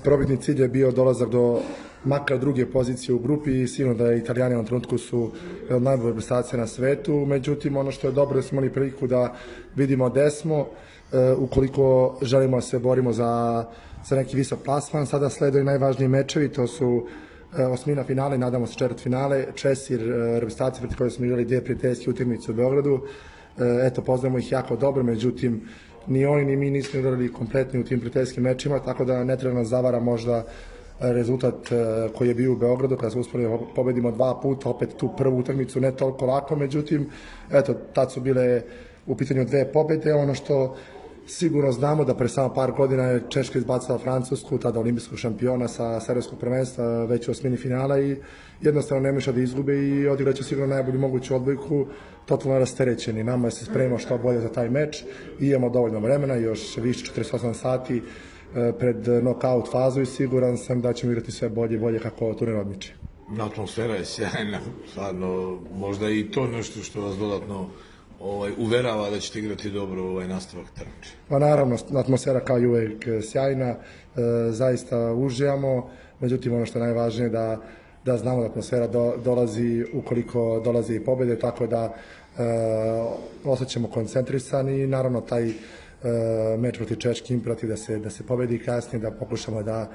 Probitni cilj je bio dolazak do makar druge pozicije u grupi i sigurno da Italijani u ovom trenutku su od najbolje reprezentacije na svetu, međutim ono što je dobro da smo imali priliku da vidimo gde smo, ukoliko želimo da se borimo za neki visok plasman. Sada sleduju najvažniji mečevi, to su osmina finale, nadamo se četvrt finale, Česi, reprezentacije proti koje smo igrali dvije prijateljske utakmice u Beogradu. Eto, poznajemo ih jako dobro, međutim ni oni ni mi nismo igrali kompletni u tim prijateljskim mečima, tako da ne treba nas zavara možda rezultat koji je bio u Beogradu kada smo uspeli da pobedimo 2 puta, opet tu prvu utakmicu ne toliko lako, međutim eto, tad su bile u pitanju 2 pobede. Ono što sigurno znamo da pre samo par godina je Češka izbacila Francusku, tada olimpijskog šampiona sa serijskog prvenstva već u osmini finala i jednostavno ne može da izgube i odigraće sigurno najbolju moguću odbojku, totalno rasterećeni. Nama se spremimo što bolje za taj meč i imamo dovoljno vremena, još više 48 sati pred knockout fazu i siguran sam da ćemo igrati sve bolje i bolje kako turnir odmiče. Atmosfera je sjajna, stvarno, možda i to nešto što vas dodatno uverava da ćete igrati dobro nastavak takmičenja. Pa naravno, atmosfera kao i uvek sjajna, zaista uživamo, međutim ono što je najvažnije da znamo da atmosfera dolazi ukoliko dolazi i pobede, tako da osjećamo koncentrisani i naravno taj meč protiv Češke imperativ da se pobedi kasnije, da pokušamo da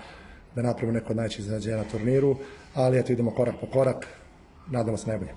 napravimo neko od najvećih iznenađenja na turniru, ali eto idemo korak po korak, nadamo se najbolje.